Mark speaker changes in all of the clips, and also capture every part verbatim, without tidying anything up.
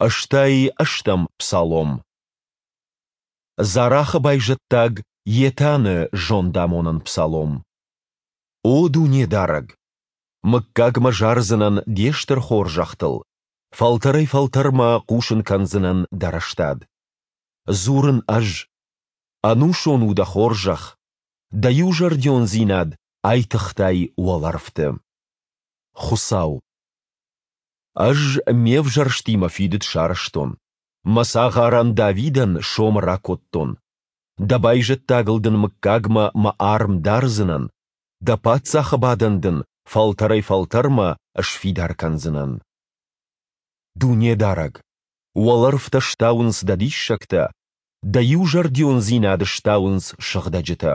Speaker 1: Ӕстай ӕстӕм псалом. Зарахы байзӕддаг Етаны зондамонӕн псалом. О Дунедарӕг! Мыггагмӕ зардзынӕн Де стыр хорзӕхтыл, фӕлтӕрӕй-фӕлтӕрмӕ хъусын кӕндзынӕн Дӕ рӕстад. Дзурын ӕз: Ӕнусон у Дӕ хорзӕх, Дӕ иузӕрдиондзинад айтыгътай уӕлӕрвты. Хуыцау. Ӕз Ме взӕрстимӕ фидыд сарӕзтон, Мӕ цагъарӕн Давидӕн сомы ракодтон: Дӕ байзӕддагыл дын мыггагмӕ Мӕ арм дардзынӕн, дӕ паддзахы бадӕн дын фӕлтӕрӕй-фӕлтӕрмӕ сфидар кӕндзынӕн. Дунедарӕг, уӕлӕрвтӕ стауынц Дӕ диссӕгтӕ, Дӕ иузӕрдиондзинад стауынц сыгъдӕджытӕ.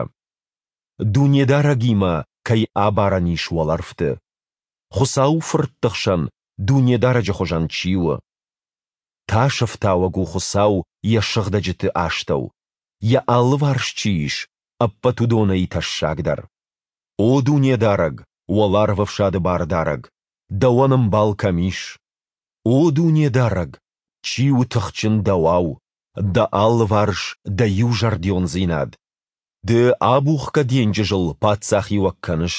Speaker 1: Дунедарӕгимӕ кӕй абарӕн ис уӕлӕрвты? Хуыцауы фыртты хсӕн Дунедарӕджы хуызӕн чи у? Тасӕфтауӕг у Хуыцау Йӕ сыгъдӕджыты астӕу, Йӕ алыварс чи ис, ӕппӕт уыдонӕй тӕссагдӕр. О Дунедарӕг, Уӕларвӕфсады Бардарӕг, Дӕуӕн ӕмбал кӕм ис? О Дунедарӕг, чи у тыхджын Дӕуау? Дӕ алыварс Дӕ иузӕрдиондзинад. Ды абухгӕ денджызыл паддзахиуӕг кӕныс.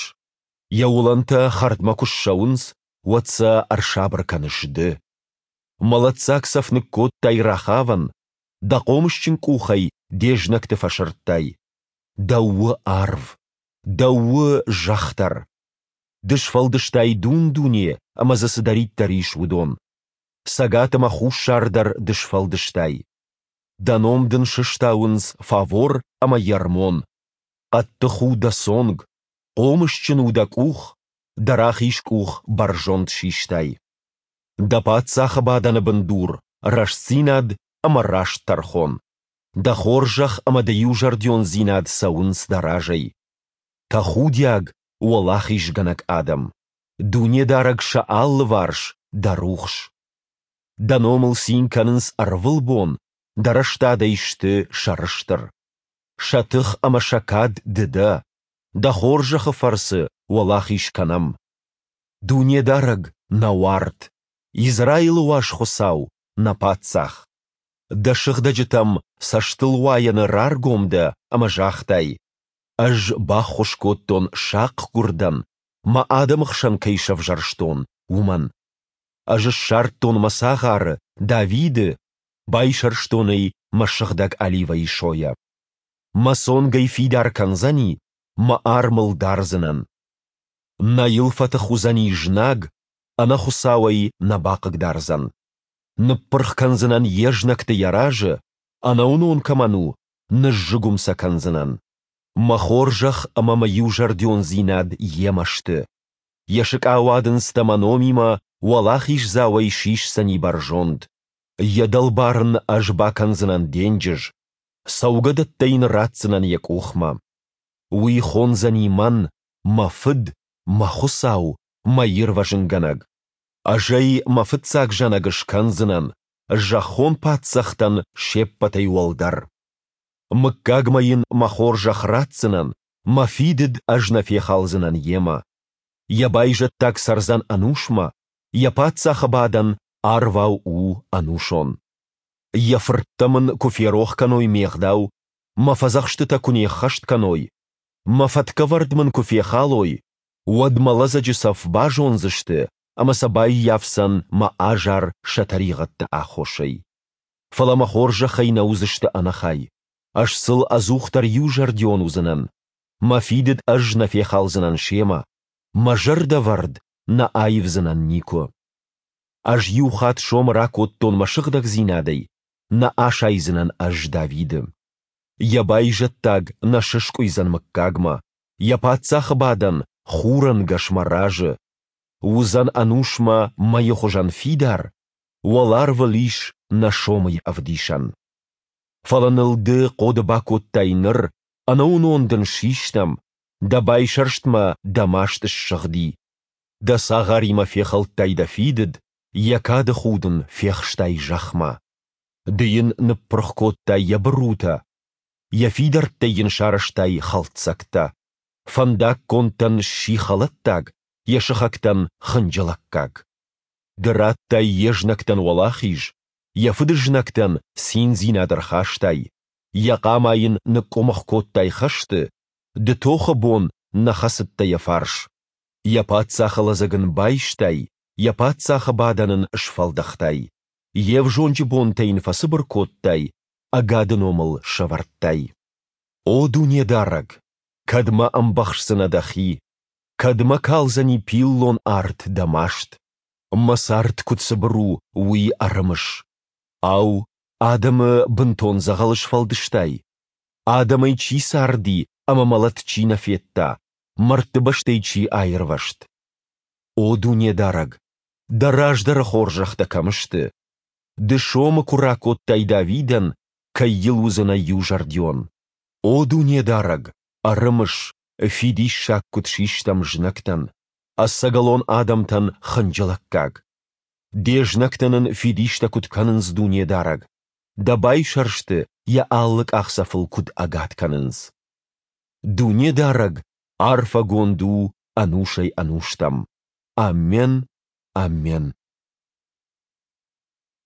Speaker 1: Йӕ уылӕнтӕ хӕрдмӕ куы ссӕуынц, уӕд сӕ ӕрсабыр кӕныс Ды. Мӕлӕтдзаг цӕф ныккодтай Рахавӕн, Дӕ хъомысджын къухӕй де знӕгты фӕсырдтай. Дӕу у арв, Дӕу у зӕхх дӕр. Ды сфӕлдыстай дун-дуне ӕмӕ дзы цыдӕриддӕр ис, уыдон. Цӕгат ӕмӕ хуссар дӕр Ды сфӕлдыстай. Дӕ ном дын сыстауынц Фавор ӕмӕ Ермон. Хъӕддых у дӕ цонг, хъомысджын у дӕ къух, дӕ рахиз къух бӕрзонд систай. Дӕ паддзахы бадӕны бындур – рӕстдзинад ӕмӕ раст тӕрхон. Дӕ хорзӕх ӕмӕ дӕ иузӕрдиондзинад цӕуынц дӕ разӕй. Тӕхудиаг, уӕлахизгӕнӕг адӕм! Дунедарӕг сӕ алыварс, дӕ рухс. Дӕ номыл цин кӕнынц ӕрвылбон, дӕ рӕстадӕй сты сӕрыстыр. Сӕ тых ӕмӕ сӕ кад Ды дӕ, Дӕ хорзӕхы фӕрцы уӕлахиз кӕнӕм. Дунедарӕг, нӕ уарт, Израилы Уаз Хуыцау, нӕ Паддзах! Дӕ сыгъдӕджытӕм цӕстылуайӕны раргом дӕ ӕмӕ загътай: Ӕз баххуыс кодтон сахъгуырдӕн, мӕ адӕмы хсӕн кӕй сӕвзӕрстон, уымӕн. Ӕз ссардтон мӕ цагъары, Давиды, байсӕрстон ӕй мӕ сыгъдӕг оливӕйы сойӕ. Мӕ цонг ӕй фидар кӕндзӕни, мӕ арм ыл дардзынӕн. Нӕ йыл фӕтых уыдзӕни знаг, ӕнӕхуыцау ӕй нӕ бахъыгдардзӕн. Ныппырх кӕндзынӕн йе знӕгты йӕ разы, ӕнӕуынон кӕмӕн у, ныззыгуым сӕ кӕндзынӕн. Мӕ хорзӕх ӕмӕ мӕ иузӕрдиондзинад йемӕ сты. Йӕ сыкъауадындзтӕ мӕ номимӕ уӕлахиздзауӕй сисдзӕни бӕрзонд. Йӕ дӕлбар ын ӕз бакӕндзынӕн денджыз, цӕугӕдӕттӕ йын ратдзынӕн йӕ къухмӕ. Уый хондзӕни мӕн, мӕ Фыд, мӕ Хуыцау, мӕ Ирвӕзынгӕнӕг. Ӕз ӕй мӕ фыццаг зӕнӕг скӕндзынӕн, зӕххон паддзӕхтӕн се ппӕтӕй уӕлдӕр. Мыггагмӕ йын мӕ хорзӕх ратдзынӕн, мӕ фидыд ӕз нӕ фехалдзынӕн йемӕ. Йӕ байзӕддаг цӕрдзӕн ӕнусмӕ, йӕ паддзахы бадӕн арвау у ӕнусон. Йӕ фырттӕ мын куы ферох кӕной ме гъдау, мӕ фӕдзӕхстытӕ куы не ххӕст кӕной, мӕ фӕткӕвӕрд мын куы фехалой, уӕд мӕ лӕдзӕджы цӕф базондзысты ӕмӕ сӕ баййафдзӕн мӕ азар сӕ тӕригъӕдты аххосӕй. Фӕлӕ мӕ хорзӕхӕй нӕ уыдзысты ӕнӕхай. Ӕз сыл ӕдзухдӕр иузӕрдион уыдзынӕн, мӕ фидыд ӕз нӕ фехалдзынӕн семӕ, мӕ зӕрдӕвӕрд нӕ аивдзынӕн никуы. Ӕз иу хатт сомы ракодтон мӕ сыгъдӕгдзинадӕй, нӕ асайдзынӕн ӕз Давиды. Йӕ байзӕддаг нӕ сыскъуыйдзӕн мыггагмӕ, йӕ паддзахы бадӕн хурӕнгӕс мӕ разы. Уыдзӕн ӕнусмӕ мӕйы хуызӕн фидар, уӕларвыл ис нӕ сомыйы ӕвдисӕн. Фӕлӕ ныл ды хъоды бакодтай ныр, ӕнӕуынон дын систӕм, дӕ байсӕрстмӕ дӕ маст ссыгъди. Дӕ цагъаримӕ фехӕлдтай дӕ фидыд, йӕ кады худ ын фехстай зӕхмӕ. Ды йын ныппырх кодтай йӕ бырутӕ, йӕ фидӕрттӕй йын сарӕзтай хӕлддзӕгтӕ. Фӕндаггонтӕн сси хӕлӕттаг, йӕ сыхӕгтӕн хынджылӕггаг. Ды радтай йе знӕгтӕн уӕлахиз, Йӕ фыдызнӕгтӕн циндзинад ӕрхастай, йӕ хъама йын ныкъкъуымых кодтай хӕсты, ды тохы бон нӕ хӕцыдтӕ йӕ фарс. Йӕ паддзахы лӕдзӕг ын байстай, йӕ паддзахы бадӕн ын сфӕлдӕхтай. Йе взонджы бонтӕ йын фӕцыбыр кодтай, ӕгады ном ыл сӕвӕрдтай. О Дунедарӕг, кӕдмӕ ӕмбӕхсдзынӕ Дӕхи? Кӕдмӕ калдзӕни пиллон арт Дӕ маст? Мӕ цард куыд цыбыр у, уый ӕрымыс. Ау, адӕмы бынтон дзӕгъӕлы сфӕлдыстай? Адӕмӕй чи царди ӕмӕ мӕлӕт чи нӕ федта, мӕрдты бӕстӕй чи аирвӕзт? О Дунедарӕг, Дӕ раздӕры хорзӕхтӕ кӕм сты? Ды сомы куы ракодтай Давидӕн, кӕй йыл уыдзынӕ иузӕрдион. О Дунедарӕг, ӕрымыс, фидиссаг куыд систӕм знӕгтӕн, ӕцӕгӕлон адӕмтӕн хынджылӕггаг. Де знӕгтӕ нын фидистӕ куыд кӕнынц, Дунедарӕг, Дӕ байсӕрсты йӕ алы къахдзӕфыл куыд ӕгад кӕнынц. Дунедарӕг арфӕгонд у ӕнусӕй-ӕнустӕм! Аммен, аммен!